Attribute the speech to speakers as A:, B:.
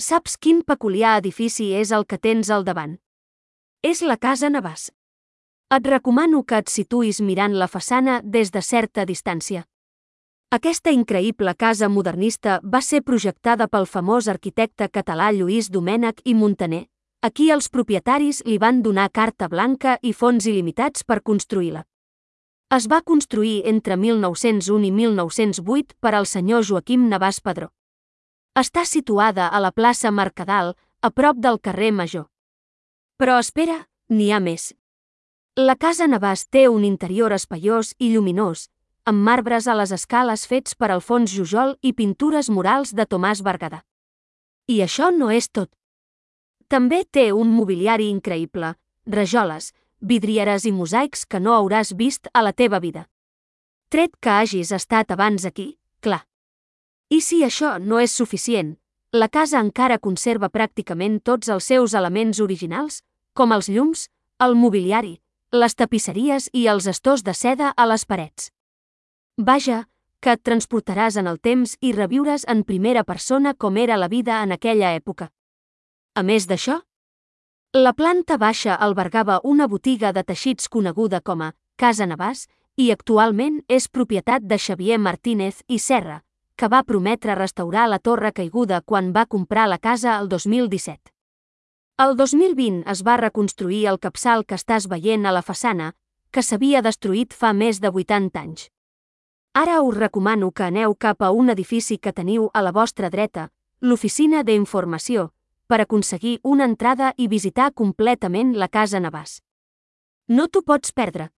A: Saps quin peculiar edifici és el que tens al davant? És la Casa Navàs. Et recomano que et situïs mirant la façana des de certa distància. Aquesta increïble casa modernista va ser projectada pel famós arquitecte català Lluís Domènech i Muntaner, a qui els propietaris li van donar carta blanca i fons il·limitats per construir-la. Es va construir entre 1901 i 1908 per al senyor Joaquim Navàs Padró. Està situada a la plaça Mercadal, a prop del carrer Major. Però espera, n'hi ha més. La Casa Navàs té un interior espaiós i lluminós, amb marbres a les escales fets per Alfons Jujol i pintures murals de Tomàs Berguedà. I això no és tot. També té un mobiliari increïble, rajoles, vidrieres i mosaics que no hauràs vist a la teva vida. Tret que hagis estat abans aquí, clar. I si això no és suficient, la casa encara conserva pràcticament tots els seus elements originals, com els llums, el mobiliari, les tapisseries i els estors de seda a les parets. Vaja, que et transportaràs en el temps i reviuràs en primera persona com era la vida en aquella època. A més d'això, la planta baixa albergava una botiga de teixits coneguda com a Casa Navàs i actualment és propietat de Xavier Martínez i Serra, que va prometre restaurar la torre caiguda quan va comprar la casa el 2017. El 2020 es va reconstruir el capçal que estàs veient a la façana, que s'havia destruït fa més de 80 anys. Ara us recomano que aneu cap a un edifici que teniu a la vostra dreta, l'Oficina d'Informació, per aconseguir una entrada i visitar completament la Casa Navàs. No t'ho pots perdre.